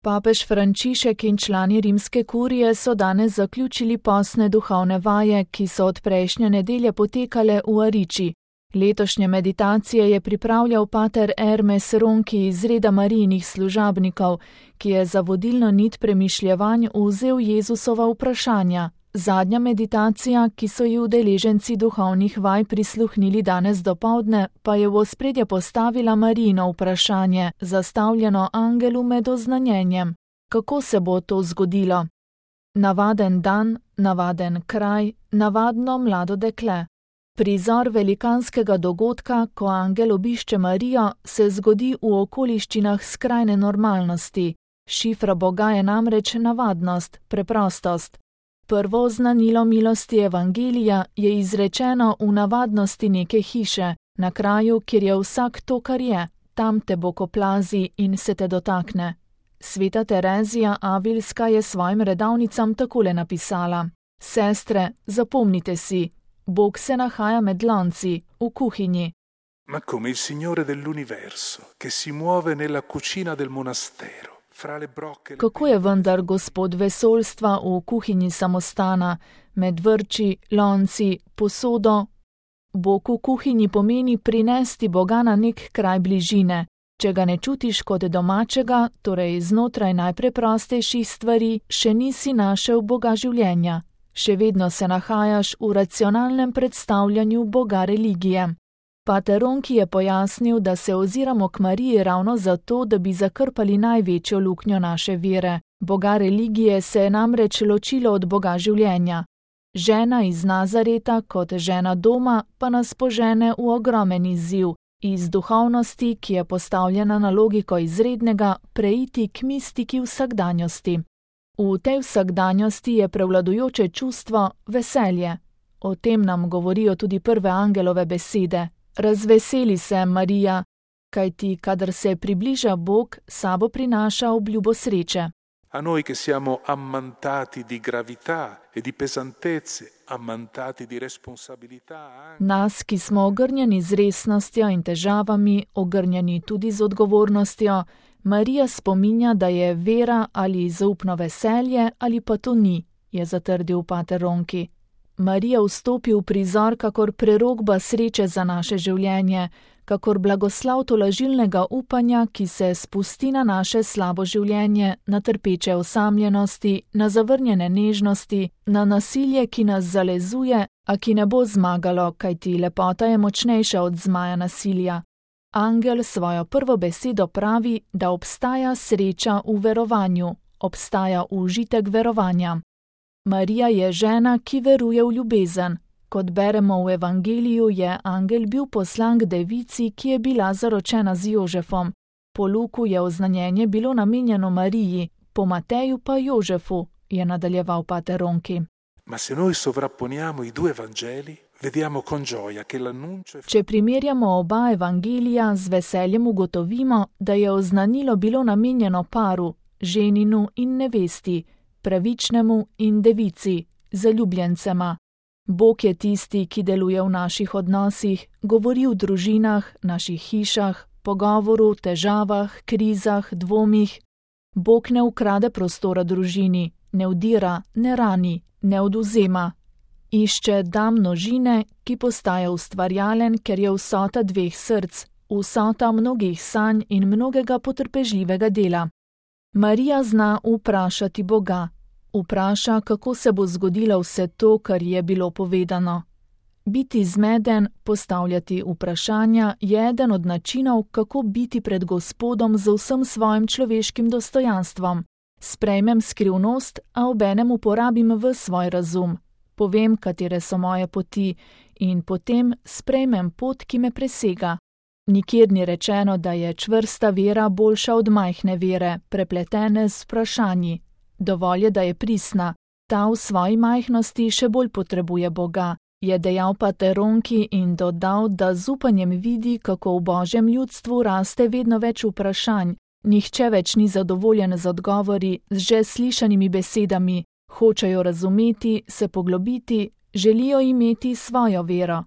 Papež Frančišek in člani rimske kurije so danes zaključili postne duhovne vaje, ki so od prejšnje nedelje potekale v Ariči. Letošnje meditacije je pripravljal pater Hermes Ronchi iz reda Marijinih služabnikov, ki je za vodilno nit premišljevanj vzel Jezusova vprašanja. Zadnja meditacija, ki so ji udeleženci duhovnih vaj prisluhnili danes dopoldne, pa je v ospredje postavila Marijino vprašanje, zastavljeno angelu med oznanjenjem. Kako se bo to zgodilo? Navaden dan, navaden kraj, navadno mlado dekle. Prizor velikanskega dogodka, ko angel obišče Marijo, se zgodi v okoliščinah skrajne normalnosti. Šifra Boga je namreč navadnost, preprostost. Prvo oznanilo milosti evangelija je izrečeno v navadnosti neke hiše, na kraju, kjer je vsak to, kar je, tam te Bog oplazi in se te dotakne. Sveta Terezija Avilska je svojim redavnicam takole napisala: Sestre, zapomnite si, Bog se nahaja med lonci, v kuhinji. Ma come il Signore dell'universo, che si muove nella cucina del monastero. Kako je vendar Gospod vesoljstva v kuhinji samostana, med vrči, lonci, posodo? Bog v kuhinji pomeni prinesti Boga na nek kraj bližine. Če ga ne čutiš kot domačega, torej znotraj najpreprostejših stvari, še nisi našel Boga življenja. Še vedno se nahajaš v racionalnem predstavljanju Boga religije. Pater Ronchi je pojasnil, da se oziramo k Mariji ravno zato, da bi zakrpali največjo luknjo naše vere. Boga religije se je namreč ločilo od Boga življenja. Žena iz Nazareta kot žena doma pa nas požene v ogromen izziv, iz duhovnosti, ki je postavljena na logiko izrednega, preiti k mistiki vsakdanjosti. V tej vsakdanjosti je prevladujoče čustvo veselje. O tem nam govorijo tudi prve angelove besede. Razveseli se, Marija, kajti kadar se približa Bog, sabo prinaša obljubo sreče. A noi che siamo ammantati di gravità e di pesantezze, ammantati di responsabilità. Nas, ki smo ogrnjeni z resnostjo in težavami, ogrnjeni tudi z odgovornostjo, Marija spominja, da je vera ali zaupno veselje ali pa to ni, je zatrdil pater Ronchi. Marija vstopi v prizor kakor prerokba sreče za naše življenje, kakor blagoslav tolažilnega upanja, ki se spusti na naše slabo življenje, na trpeče osamljenosti, na zavrnjene nežnosti, na nasilje, ki nas zalezuje, a ki ne bo zmagalo, kajti lepota je močnejša od zmaja nasilja. Angel svojo prvo besedo pravi, da obstaja sreča v verovanju, obstaja užitek verovanja. Marija je žena, ki veruje v ljubezen. Kot beremo v evangeliju, je angel bil poslan k devici, ki je bila zaročena z Jožefom. Po Luku je oznanjenje bilo namenjeno Mariji, po Mateju pa Jožefu, je nadaljeval pater Ronchi. Ma se noi sovrapponiamo i due Vangeli, vediamo con gioia che l'annuncio. Če primerjamo oba evangelija, z veseljem ugotovimo, da je oznanilo bilo namenjeno paru, ženinu in nevesti, pravičnemu in devici, zaljubljencema. Bog je tisti, ki deluje v naših odnosih, govori v družinah, naših hišah, pogovoru, težavah, krizah, dvomih. Bog ne ukrade prostora družini, ne vdira, ne rani, ne odvzema. Išče da množine, ki postaja ustvarjalen, ker je vsota dveh src, vsota mnogih sanj in mnogega potrpežljivega dela. Marija zna vprašati Boga. Vpraša, kako se bo zgodilo vse to, kar je bilo povedano. Biti zmeden, postavljati vprašanja, je eden od načinov, kako biti pred Gospodom z vsem svojim človeškim dostojanstvom. Sprejmem skrivnost, a obenem uporabim v svoj razum. Povem, katere so moje poti, in potem sprejmem pot, ki me presega. Nikjer ni rečeno, da je čvrsta vera boljša od majhne vere, prepletene z vprašanji. Dovolj je, da je pristna. Ta v svoji majhnosti še bolj potrebuje Boga, je dejal pater Ronchi in dodal, da z upanjem vidi, kako v Božjem ljudstvu raste vedno več vprašanj. Nihče več ni zadovoljen z odgovori, z že slišanimi besedami. Hočejo razumeti, se poglobiti, želijo imeti svojo vero.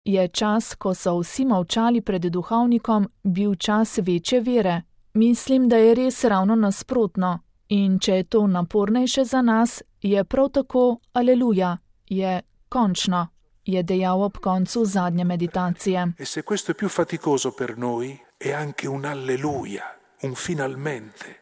Je čas, ko so vsi molčali pred duhovnikom, bil čas večje vere? Mislim, da je res ravno nasprotno. In če je to napornejše za nas, je prav tako aleluja, je končno, je dejal ob koncu zadnje meditacije. E se questo è più faticoso per noi, è anche un alleluia, un finalmente.